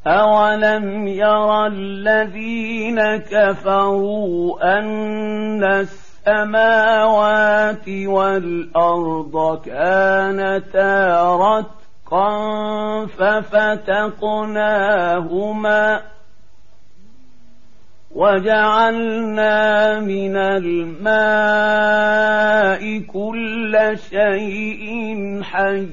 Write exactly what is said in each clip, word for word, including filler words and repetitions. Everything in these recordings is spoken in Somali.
أولم ير الذين كفروا أن السماوات والأرض كانتا رتقا ففتقناهما وجعلنا من الماء كل شيء حي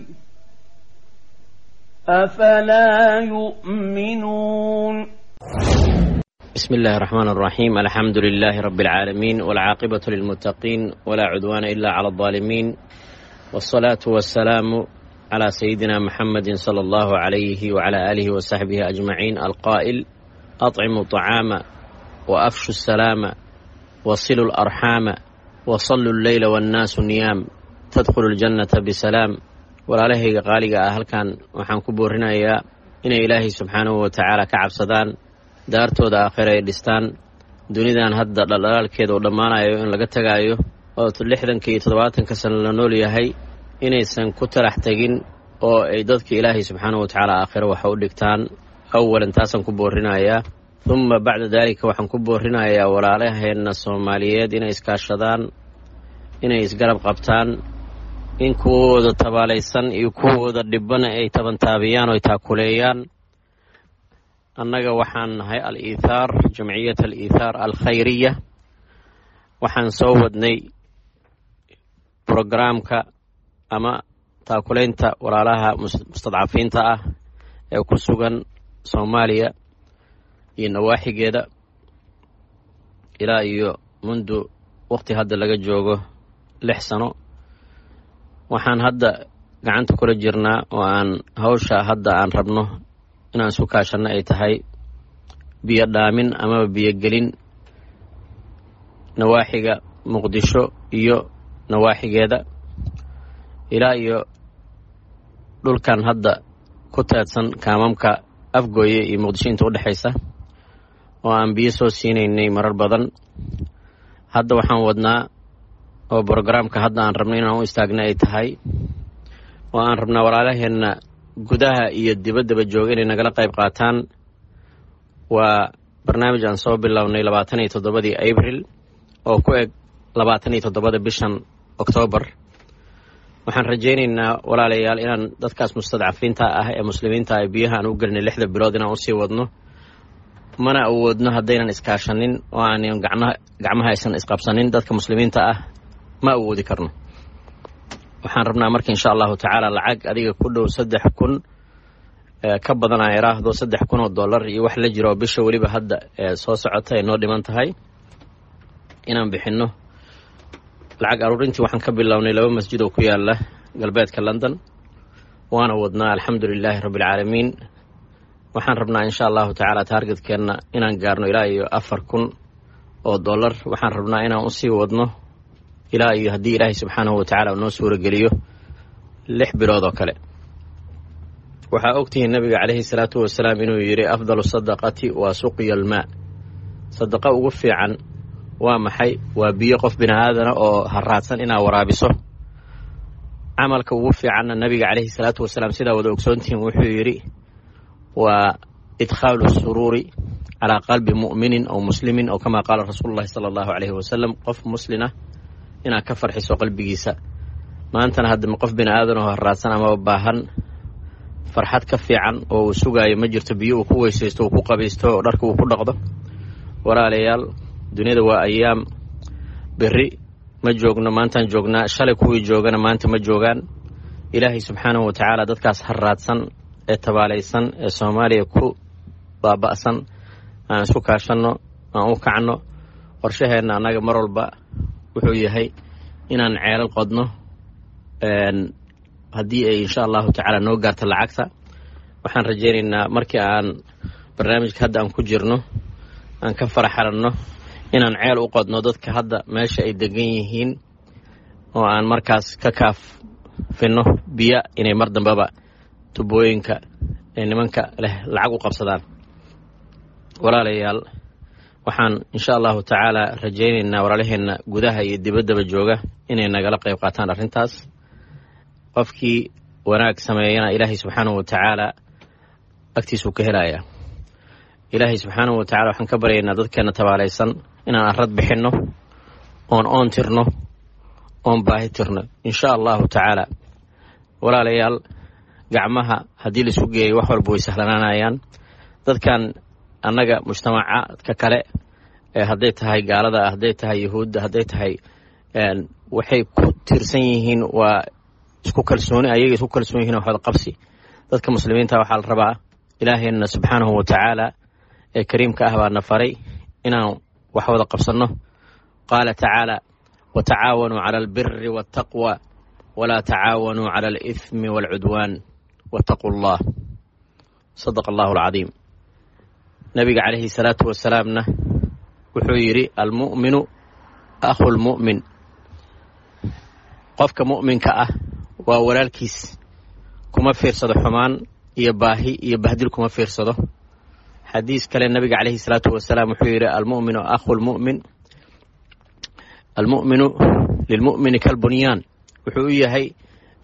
أفلا يؤمنون. بسم الله الرحمن الرحيم. الحمد لله رب العالمين، والعاقبة للمتقين، ولا عدوان إلا على الظالمين، والصلاة والسلام على سيدنا محمد صلى الله عليه وعلى آله وصحبه أجمعين، القائل: أطعموا الطعام وأفشوا السلام وصلوا الأرحام وصلوا الليل والناس نيام تدخلوا الجنة بسلام. Walaalahayga qaaliga ah, halkan waxaan ku boorinayaa inay Ilaahay subxaanahu wa tacaala ka cabsadaan, daartooda aakhira ay dhistaan, dunidan hadda dhaldhalaalkeeda uu dhammaanayo in laga tagaayo oo lixdanka iyo toddobaatanka sano la nool yahay, inaysan ku talax tegin oo ay dadka Ilaahay subxaanahu wa tacaala aakhira waxa u dhigtaan. Awalan taasaan ku boorinayaa. Humma bacda daalika waxaan ku boorinayaa walaalaheenna Soomaaliyeed inay iskaashadaan, inay isgarab qabtaan, in kuwooda tabaalaysan iyo kuwooda dhibana ay tabantaabiyaan oo ay taakuleeyaan. Annaga waxaan nahay Al-Iithaar, Jamciyat Al-Iithaar Alkhayriya. Waxaan soo wadnay brograamka ama taakulaynta walaalaha mustadcafiinta ah ee ku sugan Soomaaliya iyo nawaaxigeeda ilaa iyo mundu waqti hadda laga joogo lix sano. Waxaan hadda gacanta kula jirnaa oo aan hawsha hadda aan rabno inaan isu kaashanno ay tahay biyo dhaamin amaba biyogelin nawaaxiga Muqdisho iyo nawaaxigeeda ilaa iyo dhulkan hadda ku teedsan kaamamka Afgooye iyo Muqdisho inta udhexaysa oo aan biyo soo siinaynay marar badan. Hadda waxaan wadnaa oo brograamka hadda aan rabno inaan u istaagna ay tahay oo aan rabnaa walaalaheenna gudaha iyo dibaddaba jooga inay nagala qayb qaataan, waa barnaamij aan soo bilownay labaatan iyo toddobadii Abril oo ku eg labaatan iyo toddobada bishan Oktoobar. Waxaan rajaynaynaa, walaalayaal, inaan dadkaas mustadcafiinta ah ee muslimiinta ah biyaha aan u gelinay lixda bilood inaan usii wadno. Mana awoodno haddaynan iskaashanin oo aanan gacmaha gacmaha aysan isqabsanin dadka muslimiinta ah, ma awoodi karno. Waxaan rabnaa marka, insha Allahu tacaala, lacag adiga ku dhow saddex kun ka badan, aan iraahdo saddex kun oo dollar iyo wax la jiro, oo bisha weliba hadda soo socota ay noo dhiman tahay, inaan bixinno. Lacag aruurintii waxaan ka bilownay laba masjid oo ku yaala galbeedka London, waana wadnaa, alxamdu lilaahi rabbi alcaalamiin. Waxaan rabnaa, insha Allahu tacaala, targetkeenna inaan gaarno ilaa iyo afar kun oo dollar. Waxaan rabnaa inaan usii wadno ilaa iyo haddii Ilaahay subxaanahu wa tacala noo suurageliyo lix bilood oo kale. Waxaa ogtihiin Nabiga calayhi salaatu wasalaam inuu yidhi: "Afdalu sadaqati waa suqya almaa." Sadaqa ugu fiican waa maxay? Waa biyo qof bini aadana oo haraadsan inaa waraabiso. Camalka ugu fiicanna, Nabiga calayhi salaatu wasalaam, sidaa wada ogsoontihiin, wuxuu yidhi waa idkhaalu suruuri calaa qalbi mu'minin aw muslimin, aw kamaa qaala rasuulu llahi sala Allahu calayhi wasalam, qof muslina inaad ka farxiso qalbigiisa. Maantana hadda qof bini aadan oo haraadsan amaba baahan, farxad ka fiican oo uu sugaayo ma jirto, biyo uu ku weysaysto, uu ku qabaysto oo dharka uu ku dhaqdo. Walaalayaal, duniyada waa ayaam, berri ma joogno, maantaan joognaa. Shalay kuwii joogana maanta ma joogaan. Ilaahay subxaanahu wa tacaala dadkaas haraadsan ee tabaalaysan ee Soomaaliya ku baaba'san aan isku kaashanno, aan u kacno. Qorshaheenna annaga mar walba wuxuu yahay inaan ceelal qodno haddii ay, insha Allahu tacaala, noo gaarto lacagta. Waxaan rajaynaynaa markii aan barnaamijka hadda aan ku jirno aan ka faraxalanno inaan ceel u qodno dadka hadda meesha ay degan yihiin oo aan markaas ka kaafinno biyo inay mar dambeba tubooyinka ee nimanka leh lacag u qabsadaan. Walaalayaal, waxaan insha Allahu tacaala rajaynaynaa walaalaheenna gudaha iyo dibaddaba jooga inay nagala qayb qaataan arrintaas. Qofkii wanaag sameeyana Ilaahay subxaanahu wa tacaala agtiisuu ka helayaa. Ilaahay subxaanahu wa tacala waxaan ka baryaynaa dadkeena tabaalaysan inaan arrad bixinno, oon oon tirno, oon baahi tirno, insha allahu tacaala. Walaalayaal, gacmaha haddii laisu geeyo wax walba way sahlanaanayaan. Dadkan annaga mujtamacaadka kale ee hadday tahay gaalada, hadday tahay yahuudda, hadday tahay, waxay ku tiirsan yihiin waa isku kalsooni, ayaga isku kalsoon yihiin waxwada qabsi. Dadka muslimiinta waxaa la rabaa, ilaahayna subxaanahu wa tacaala ee kariimka ah baa na faray inaan wax wada qabsanno. Qaala tacaala: watacaawanuu cala albiri waltaqwa walaa tacaawanuu cala alithmi waalcudwaan wattaquu allah. Sadaqa allahu alcadiim. Nabiga calayhi salaatu wasalaamna wuxuu yidhi: almu'minu akhu lmu'min. Qofka mu'minka ah waa walaalkiis, kuma fiirsado xumaan iyo baahi iyo bahdil, kuma fiirsado. Xadiis kale nabiga calayhi salaatu wasalaam wuxuu yidhi: almu'minu akhu lmu'min, almu'minu lilmu'mini kalbunyaan. Wuxuu u yahay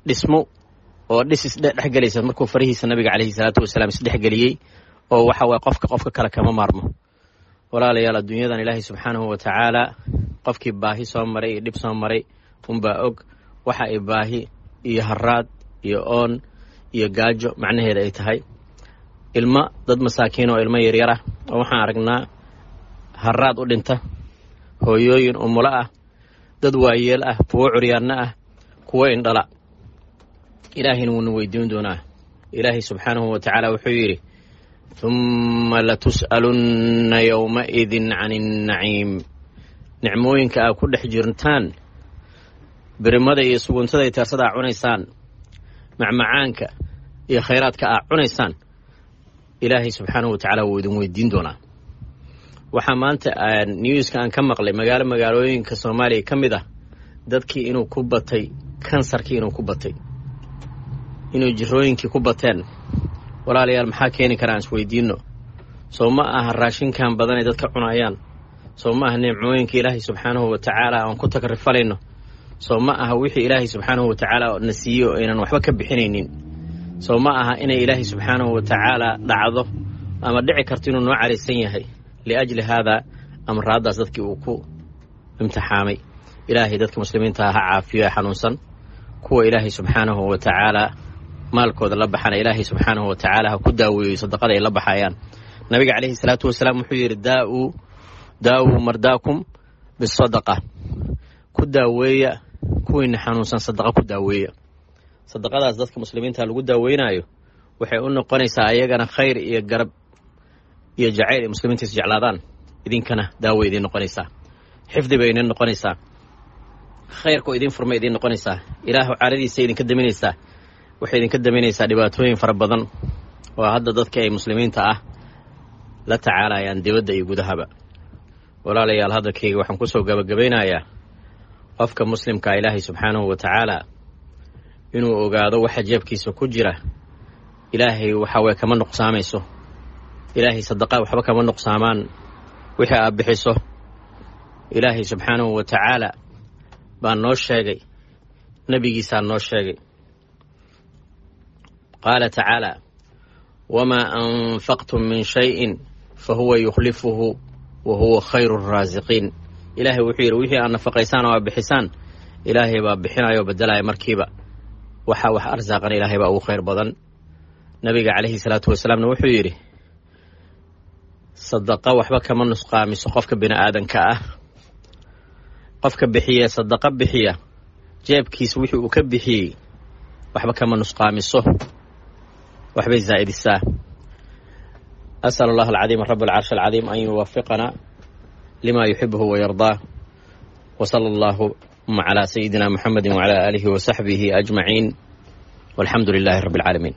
dhismo oo dhis isdhexgelaysa markuu farihiisa nabiga calayhi salaatu wasalaam isdhexgeliyey, oo waxa waye qofka qofka kale kama maarmo. Walaalayaal, adduunyadan ilaahay subxaanahu wa tacaala qofkii baahi soo maray iyo dhib soo maray unbaa og waxa ay baahi iyo haraad iyo oon iyo gaajo macnaheeda ay tahay. Ilmo dad masaakiin oo ilmo yaryar ah oo waxaan aragnaa haraad u dhinta, hooyooyin umulo ah, dad waayeel ah, kuwo curyaanno ah, kuwo indhala. Ilaahayna wuuna weydiin doonaa. Ilaahay subxaanahu wa tacaala wuxuu yidhi: humma latus'alunna yowmaidin cani annaciim. Nicmooyinka aad ku dhex jirtaan, birimada iyo suguntada iyo teersada aa cunaysaan, macmacaanka iyo khayraadka aa cunaysaan, ilaahay subxaanahu wa tacaala wuu idin weydiin doonaa. Waxaa maanta newska aan ka maqlay magaalo magaalooyinka Soomaaliya ka mid ah dadkii inuu ku batay kansarkii, inuu ku batay, inuu jirooyinkii ku bateen. Walaalayaal, maxaa keeni karaa aan isweydiinno? Soo ma aha raashinkan badan ay dadka cunayaan? Soo ma aha nimcooyinka ilaahay subxaanahu wa tacaala aan ku takrifalayno? Soo ma aha wixii ilaahay subxaanahu wa tacaala na siiyey oo aynan waxba ka bixinaynin? Soo ma aha inay ilaahay subxaanahu wa tacaala dhacdo ama dhici karto inuu noo caraysan yahay liajli haadaa amraaddaas dadkii uu ku imtixaamay? Ilaahay dadka muslimiinta ha caafiyo ee xanuunsan. Kuwa ilaahay subxaanahu wa tacaala maalkooda la baxana, ilaahay subxaanahu wa tacaala ha ku daaweeyo sadaqada ay la baxayaan. Nabiga calayhi salaatu wasalaam wuxuu yidhi: daau daawuu mardaakum bisadaqa, ku daaweeya kuwiina xanuunsan sadaqa ku daaweeya. Sadaqadaas dadka muslimiinta lagu daaweynaayo waxay u noqonaysaa ayagana khayr iyo garab iyo jacayl ay muslimiinta is jeclaadaan, idinkana daaway idiin noqonaysaa, xifdi bay idin noqonaysaa, khayrkoo idiin furmay idiin noqonaysaa, ilaahu caradiisa idinka daminaysaa, waxay idinka daminaysaa dhibaatooyin fara badan oo hadda dadka ay muslimiinta ah la tacaalayaan dibadda iyo gudahaba. Walaalayaal, hadalkayga waxaan kusoo gabagabaynayaa qofka muslimkaa ilaahay subxaanahu wa tacaala inuu ogaado waxa jeebkiisa ku jira. Ilaahay waxa weye kama nuqsaamayso, ilaahay sadaqa waxba kama nuqsaamaan wixii aad bixiso. Ilaahay subxaanahu wa tacaala baa noo sheegay, nebigiisaa noo sheegay. Qaala tacaala: wamaa anfaqtum min shayin fa huwa yukhlifuhu wa huwa khayru araasiqiin. Ilaahay wuxuu yidhi: wixii aad nafaqaysaan oo aad bixisaan, ilaahay baa bixinaya oo bedelaya markiiba. Waxa wax arsaaqan ilaahay baa ugu khayr badan. Nabiga calayhi salaatu wasalaamna wuxuu yidhi: sadaqa waxba kama nusqaamiso qofka bini aadanka ah. Qofka bixiya sadaqa bixiya, jeebkiisa wixii uu ka bixiyey waxba kama nusqaamiso, waxbay zaa'idisaa. As'al allah alcadiim rab alcarsh alcadiim an yuwafiqana lima yuxibuhu wayardaah, wsala allahuma calaa sayidina muxamedi wacala aalihi wasaxbihi ajmaciin, walxamdu lilahi rabbi alcaalamiin.